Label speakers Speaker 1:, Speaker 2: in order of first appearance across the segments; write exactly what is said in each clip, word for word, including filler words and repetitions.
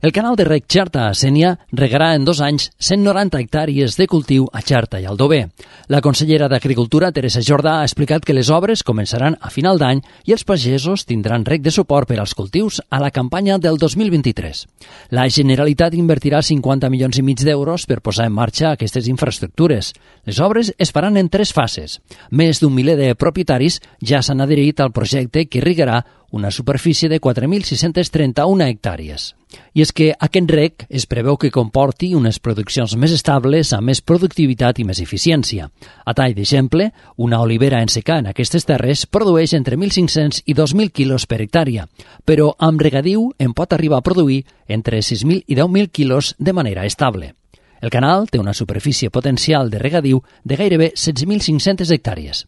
Speaker 1: El canal de reg Xerta-Sénia regarà en dos anys cent noranta hectàrees de cultiu a Xerta i Aldover. La consellera d'Agricultura, Teresa Jordà, ha explicat que les obres començaran a final d'any i els pagesos tindran reg de suport per als cultius a la campanya del dos mil vint-i-tres. La Generalitat invertirà cinquanta milions i mig d'euros per posar en marxa aquestes infraestructures. Les obres es faran en tres fases. Més d'un miler de propietaris ja s'han adherit al projecte que irrigarà una superfície de quatre mil sis-cents trenta-u hectàrees. I és que aquest reg es preveu que comporti unes produccions més estables, amb més productivitat i més eficiència. A tall d'exemple, una olivera en secà en aquestes terres produeix entre mil cinc-cents i dos mil quilos per hectàrea, però amb regadiu en pot arribar a produir entre sis mil i deu mil quilos de manera estable. El canal té una superfície potencial de regadiu de gairebé setze mil cinc-centes hectàrees.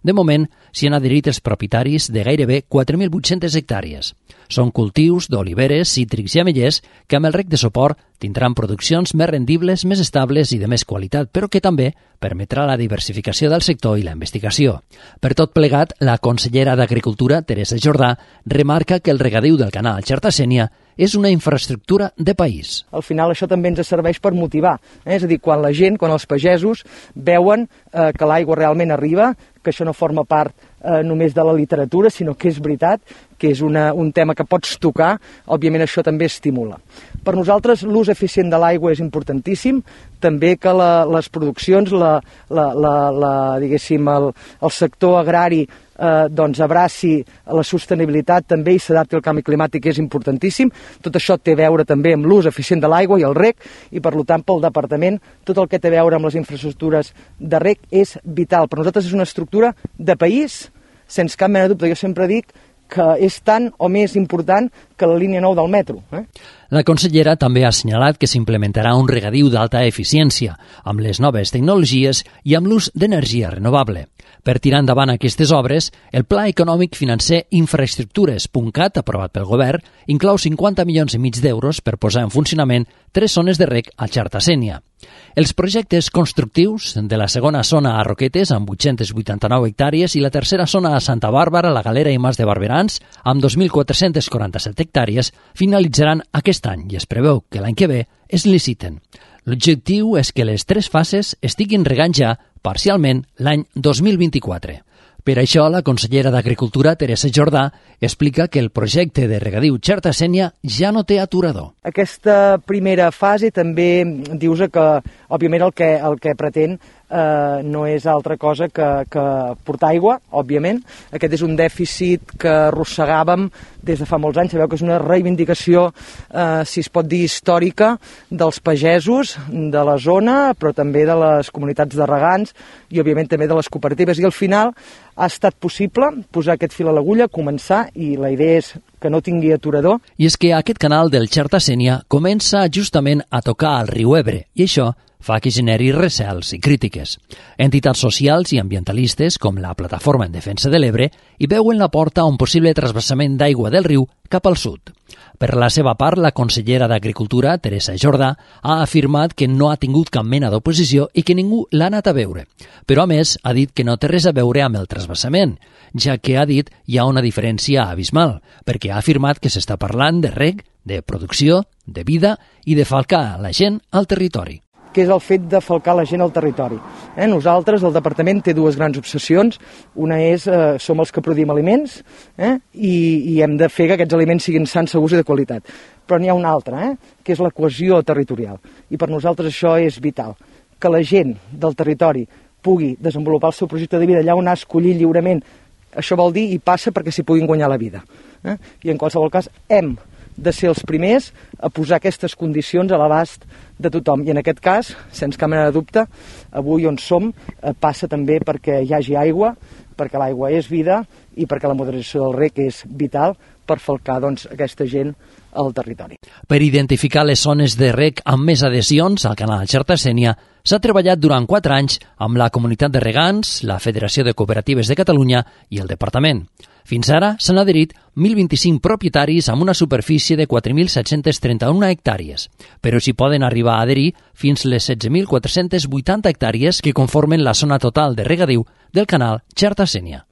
Speaker 1: De moment, s'hi han adherit els propietaris de gairebé quatre mil vuit-centes hectàrees. Són cultius d'oliveres, cítrics i ametllers que amb el reg de suport tindran produccions més rendibles, més estables i de més qualitat, però que també permetrà la diversificació del sector i la investigació. Per tot plegat, la consellera d'Agricultura, Teresa Jordà, remarca que el regadiu del canal Xerta-Sénia és una infraestructura de país.
Speaker 2: Al final això també ens serveix per motivar, eh? És a dir, quan la gent, quan els pagesos veuen eh, que l'aigua realment arriba, que això no forma part eh, només de la literatura, sinó que és veritat, que és una, un tema que pots tocar, òbviament això també estimula. Per nosaltres l'ús eficient de l'aigua és importantíssim, també que la, les produccions, la, la, la, la, diguéssim, el, el sector agrari eh, doncs abraci la sostenibilitat també i s'adapti al canvi climàtic és importantíssim. Tot això té a veure també amb l'ús eficient de l'aigua i el reg i per tant pel departament tot el que té a veure amb les infraestructures de reg és vital. Per nosaltres és una estructura de país, sense cap mena de dubte. Jo sempre dic que és tan o més important que la línia nou del metro. Eh?
Speaker 1: La consellera també ha assenyalat que s'implementarà un regadiu d'alta eficiència, amb les noves tecnologies i amb l'ús d'energia renovable. Per tirar endavant aquestes obres, el Pla Econòmic Financer Infraestructures.cat, aprovat pel Govern, inclou cinquanta milions i mig d'euros per posar en funcionament tres zones de reg a Xerta-Sénia. Els projectes constructius de la segona zona a Roquetes, amb vuit-centes vuitanta-nou hectàrees, i la tercera zona a Santa Bàrbara, la Galera i Mas de Barberans, amb dos mil quatre-cents quaranta-set hectàrees, finalitzaran aquest any i es preveu que l'any que ve es liciten. L'objectiu és que les tres fases estiguin regant ja parcialment l'any dos mil vint-i-quatre. Per això, la consellera d'Agricultura, Teresa Jordà, explica que el projecte de regadiu Xerta-Sénia ja no té aturador.
Speaker 2: Aquesta primera fase també dius que, òbviament, el que, el que pretén eh, no és altra cosa que, que portar aigua, òbviament. Aquest és un dèficit que arrossegàvem des de fa molts anys. Sabeu que és una reivindicació, eh, si es pot dir, històrica dels pagesos de la zona, però també de les comunitats de regants i, òbviament, també de les cooperatives. I al final ha estat possible posar aquest fil a l'agulla, començar, i la idea és que no tingui aturador.
Speaker 1: I és que aquest canal del Xerta-Sénia comença justament a tocar al riu Ebre, i això fa que generi recels i crítiques. Entitats socials i ambientalistes, com la Plataforma en Defensa de l'Ebre, hi veuen la porta a un possible trasbassament d'aigua del riu cap al sud. Per la seva part, la consellera d'Agricultura, Teresa Jordà, ha afirmat que no ha tingut cap mena d'oposició i que ningú l'ha anat a veure. Però, a més, ha dit que no té res a veure amb el trasbassament, ja que ha dit hi ha una diferència abismal, perquè ha afirmat que s'està parlant de reg, de producció, de vida i de falcar la gent al territori,
Speaker 2: que és el fet de falcar la gent al territori. Eh? Nosaltres, el departament, té dues grans obsessions. Una és, eh, som els que produïm aliments eh? I, i hem de fer que aquests aliments siguin sans, segurs i de qualitat. Però n'hi ha una altra, eh? que és la cohesió territorial. I per nosaltres això és vital. Que la gent del territori pugui desenvolupar el seu projecte de vida allà on ha escollit lliurement. Això vol dir i passa perquè s'hi puguin guanyar la vida. Eh? I en qualsevol cas hem de ser els primers a posar aquestes condicions a l'abast de tothom. I en aquest cas, sense cap mena de dubte, avui on som passa també perquè hi hagi aigua, perquè l'aigua és vida i perquè la moderació del reg és vital per falcar doncs, aquesta gent al territori.
Speaker 1: Per identificar les zones de reg amb més adhesions al canal Xerta-Sénia s'ha treballat durant quatre anys amb la Comunitat de Regants, la Federació de Cooperatives de Catalunya i el Departament. Fins ara s'han adherit mil vint-i-cinc propietaris amb una superfície de quatre mil set-cents trenta-u hectàrees, però s'hi poden arribar a adherir fins les setze mil quatre-cents vuitanta hectàrees que conformen la zona total de regadiu del canal Xerta-Sénia.